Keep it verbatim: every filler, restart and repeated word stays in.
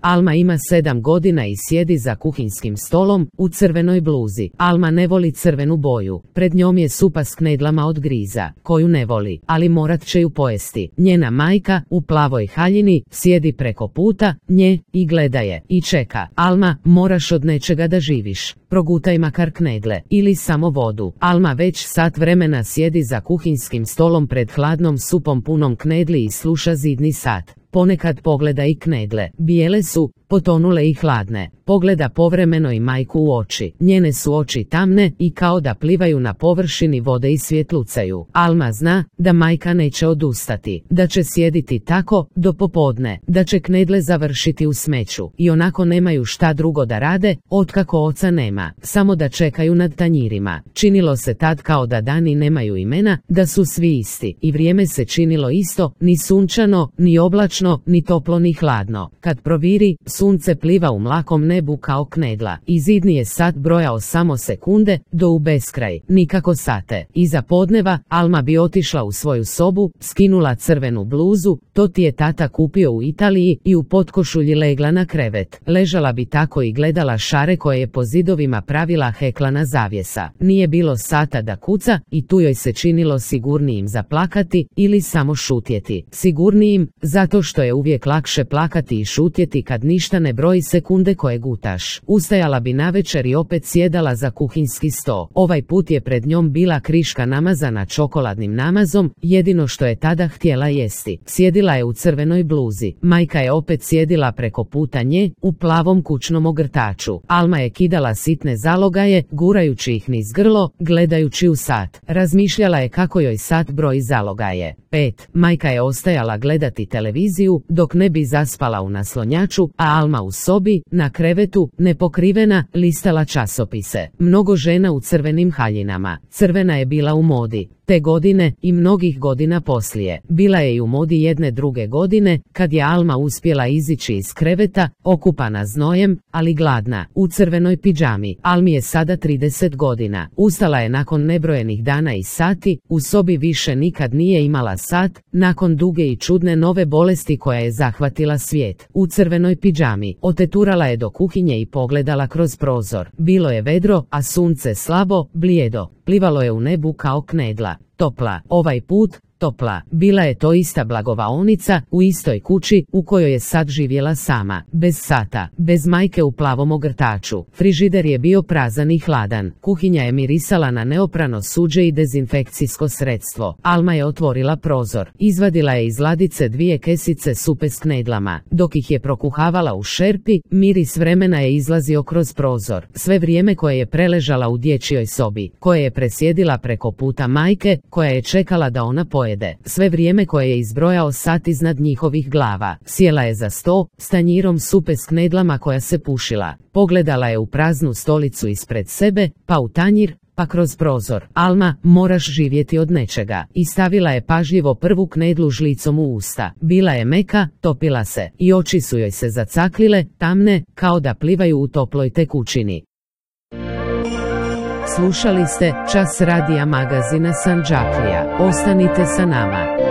Alma ima sedam godina i sjedi za kuhinskim stolom u crvenoj bluzi. Alma ne voli crvenu boju. Pred njom je supa s knedlama od griza, koju ne voli, ali morat će ju pojesti. Njena majka, u plavoj haljini, sjedi preko puta nje i gleda je i čeka. Alma, moraš od nečega da živiš. Progutaj makar knedle ili samo vodu. Alma već sat vremena sjedi za kuhinskim stolom pred hladnom supom punom knedli i sluša zidni sat. Ponekad pogleda i knedle. Bijele su, potonule i hladne. Pogleda povremeno i majku u oči. Njene su oči tamne i kao da plivaju na površini vode i svjetlucaju. Alma zna da majka neće odustati, da će sjediti tako do popodne, da će knedle završiti u smeću i onako nemaju šta drugo da rade, otkako oca nema, samo da čekaju nad tanjirima. Činilo se tad kao da dani nemaju imena, da su svi isti i vrijeme se činilo isto, ni sunčano, ni oblačno, ni toplo ni hladno. Kad proviri, sunce pliva u mlakom nebu kao knedla i zidni je sat brojao samo sekunde do u beskraj, nikako sate. Iza podneva Alma bi otišla u svoju sobu, skinula crvenu bluzu, to ti je tata kupio u Italiji, i u potkošulji legla na krevet. Ležala bi tako i gledala šare koje je po zidovima pravila heklana zavjesa. Nije bilo sata da kuca i tu joj se činilo sigurnijim zaplakati ili samo šutjeti. Sigurnijim, zato što je uvijek lakše plakati i šutjeti kad ništa ne broji sekunde koje gutaš. Ustajala bi navečer i opet sjedala za kuhinski sto. Ovaj put je pred njom bila kriška namazana čokoladnim namazom, jedino što je tada htjela jesti. Sjedila je u crvenoj bluzi. Majka je opet sjedila preko puta nje, u plavom kućnom ogrtaču. Alma je kidala sitne zalogaje, gurajući ih niz grlo, gledajući u sat. Razmišljala je kako joj sat broji zalogaje. Pet. Majka je ostajala gledati televiziju dok ne bi zaspala u naslonjaču, a Alma u sobi, na krevetu, nepokrivena, listala časopise. Mnogo žena u crvenim haljinama. Crvena je bila u modi te godine i mnogih godina poslije. Bila je i u modi jedne druge godine, kad je Alma uspjela izići iz kreveta, okupana znojem, ali gladna, u crvenoj pidžami. Almi je sada trideset godina. Ustala je nakon nebrojenih dana i sati, u sobi više nikad nije imala sat, nakon duge i čudne nove bolesti koja je zahvatila svijet. U crvenoj pidžami. Oteturala je do kuhinje i pogledala kroz prozor. Bilo je vedro, a sunce slabo, blijedo. Plivalo je u nebu kao knedla. Topla. Ovaj put, topla. Bila je to ista blagovaonica, u istoj kući, u kojoj je sad živjela sama. Bez sata, bez majke u plavom ogrtaču. Frižider je bio prazan i hladan. Kuhinja je mirisala na neoprano suđe i dezinfekcijsko sredstvo. Alma je otvorila prozor. Izvadila je iz ladice dvije kesice supe s knedlama. Dok ih je prokuhavala u šerpi, miris vremena je izlazio kroz prozor. Sve vrijeme koje je preležala u dječjoj sobi, koje je presjedila preko puta majke, koja je čekala da ona pojede. Sve vrijeme koje je izbrojao sat iznad njihovih glava. Sjela je za sto, s tanjirom supe s knedlama koja se pušila. Pogledala je u praznu stolicu ispred sebe, pa u tanjir, pa kroz prozor. Alma, moraš živjeti od nečega. I stavila je pažljivo prvu knedlu žlicom u usta. Bila je meka, topila se, i oči su joj se zacaklile, tamne, kao da plivaju u toploj tekućini. Slušali ste Čas radija magazina Sandžaklija. Ostanite sa nama.